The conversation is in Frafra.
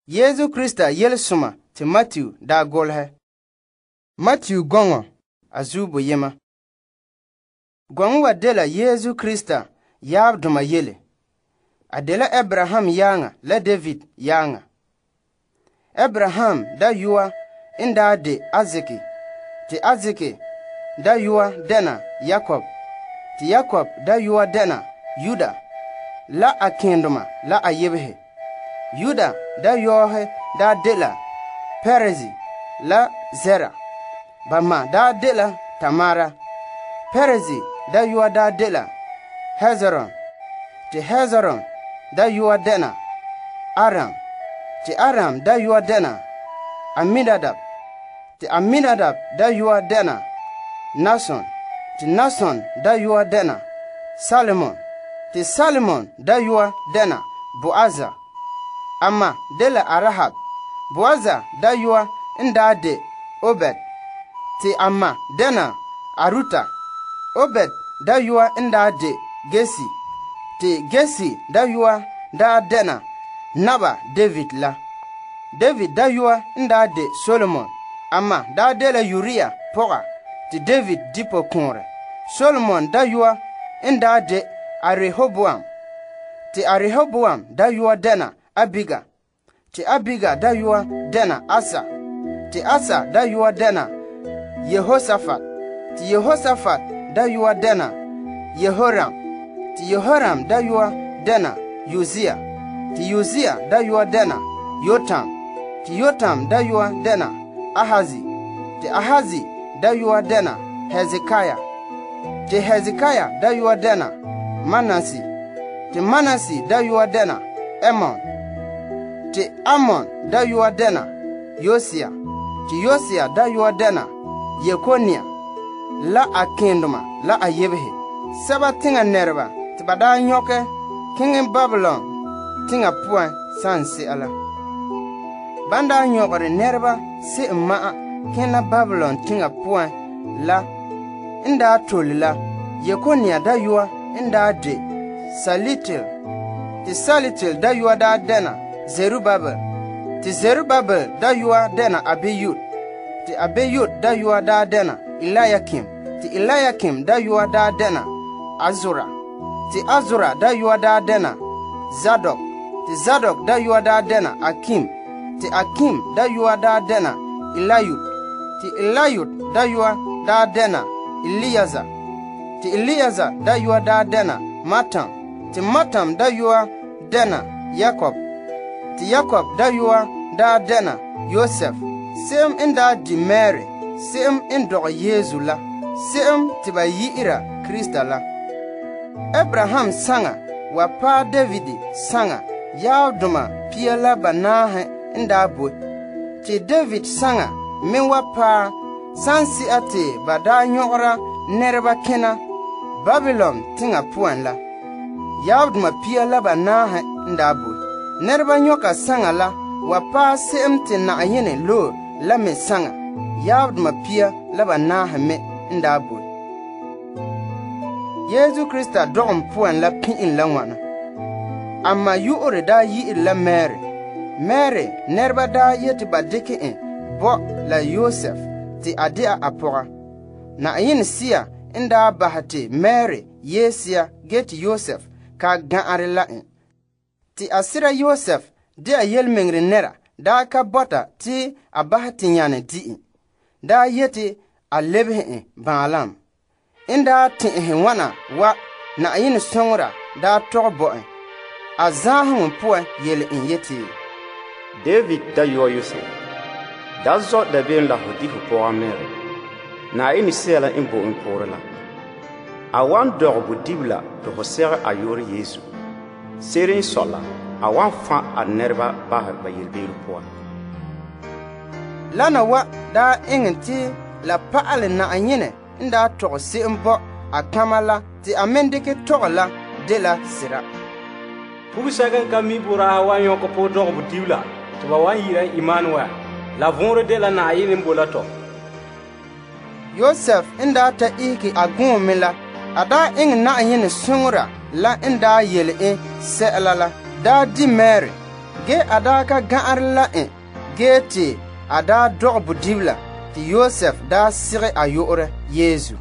Yesu Krista yelesoma te Matthew daa golehɛ. Matthew gɔŋɔ a zuo boyema. Gɔŋɔ wa dela Yesu Krista yaabdoma yele. A dela Abraham yaaŋa la David yaaŋa. Abraham dayɔa n daa de Isaac, te Isaac dayɔa dɛna Yakob, te Yakob dayɔa dɛna Yuda la a kendoma la a yebehe. Yuda dayɔɔhe daa dela Perez la Zera. Ba ma daa dela Tamara. Perez dayɔa daa dela Hezron, te Hezron dayɔa dɛna Aram, te Aram dayɔa dɛna Aminadab, te Aminadab dayɔa dɛna Nason, te Nason dayɔa dɛna Salmon, te Salmon dayɔa dɛna Boaza. Amma dela Arahab. Boaza dayɔa n daa de Obed, te amma dɛna Aruta. Obed dayɔa n daa de Gesi, te Gesi dayɔa daa dɛna naba David la. David dayɔa n daa de Solomon, amma daa dela Uria pɔga te David dipo kɔɔrɛ. Solomon dayɔa n daa de Rehoboam, te Rehoboam dayɔa dɛna Abiga, te Abiga dayɔa dɛna Asa, te Asa dayɔa dɛna Yehoshaphat, te Yehoshaphat dayɔa dɛna Yehoram, te Yehoram dayɔa dɛna Uzia, te Uzia dayɔa dɛna Yotam, te Yotam dayɔa dɛna Ahazi, te Ahazi dayɔa dɛna Hezekiah, te Hezekiah dayɔa dɛna Manase, te Manase dayɔa dɛna Amon, te Amon dayɔa dɛna Yosia, te Yosia dayɔa dɛna Yekonia la a kendoma la a yebehe. Sɛba teŋa nɛreba te ba daa nyɔkɛ keŋɛ Babylon teŋa puan sanse'a la. Ban daa nyɔgere nɛreba se'em ma'a kena Babylon teŋa puan la n daa tole la, Yekonia dayɔa n daa de Salitil, te Salitil dayɔa daa dɛna Zerubabel, te Zerubabel dayɔa dɛna Abiyud, te Abiyud dayɔa daa dɛna Eliakim, te Eliakim dayɔa daa dɛna Azura, te Azura dayɔa daa dɛna Zadok, te Zadok dayɔa daa dɛna Akim, te Akim dayɔa daa dɛna Eliud, te Eliud dayɔa daa dɛna Eliazar, te Eliazar dayɔa daa dɛna Matam, te Matam dayɔa dɛna Yakob, te Yakob dayɔa daa dɛna Yosef, se'em n daa di Mary, se'em n dɔgɛ Yesu la, se'em te ba yi'ira Krista la. Abraham saŋa wa paɛ David saŋa yaabdoma pia la banaahe n daa boe, te David saŋa me wa paɛ sanse'a te ba daa nyɔgera nɛreba kena Babylon teŋa puan la. Yaabdoma pia la banaahe n daa boe. Nɛreba nyɔka saŋa la wa paɛ se'em te Na'ayenɛ loe la me saŋa yaabdoma pia la banaahe me n daa boe. Yesu Krista dɔgom puan la pin'in la ŋwana. Amma yu'ure daa yi'ire la Mary. Mary nɛreba daa yeti ba dikɛ en bɔ la Yosef te a de'a a pɔga. Na'ayenɛ Sia n daa bahɛ te Mary yeesia ge te Yosef ka ga'are la en. Te a sira Yosef de'a yelmeŋere nɛra daa ka bɔta te a bahɛ te nyane di'en. Daa yeti a lebehe en baalam. En daa tɛ'ɛhe ŋwana wa Na'ayenɛ soŋora daa tɔgɛ bo en. A zaaheŋɔ puan yele en yeti, David dayɔa Yosef, da zɔ dabeem la ho di ho pɔga Mary. Na'ayenɛ Sea la n bo en poore la. A wan dɔgɛ bodibila te ho segɛ a yoore Yesu. Se'ere n sɔi la, a wan fa a nɛreba bahɛ ba yelbeere poan. Lana wa daa eŋɛ te la pa'ale Na'ayenɛ n daa tɔgɛ se'em bɔ a kama la te a men dikɛ tɔgɛ la de la sira. Pugsɛka n ka mi boraaha wan yɔkɛ pɔgɔ dɔgɛ bodibila tɩ ba wan yi'ira Emmanuel, la võore de la Na'ayenɛ n bo la tɔ. Yosef n daa ta ihiki a gõo me la, a daa eŋɛ Na'ayenɛ soŋora la n daa yele en sɛ'ɛla la, daa di Mary Ge a daa ka ga'anrɛ la en ge te a daa dɔgɛ bodibila te Yosef daa segɛ a yu'urɛ Yesu.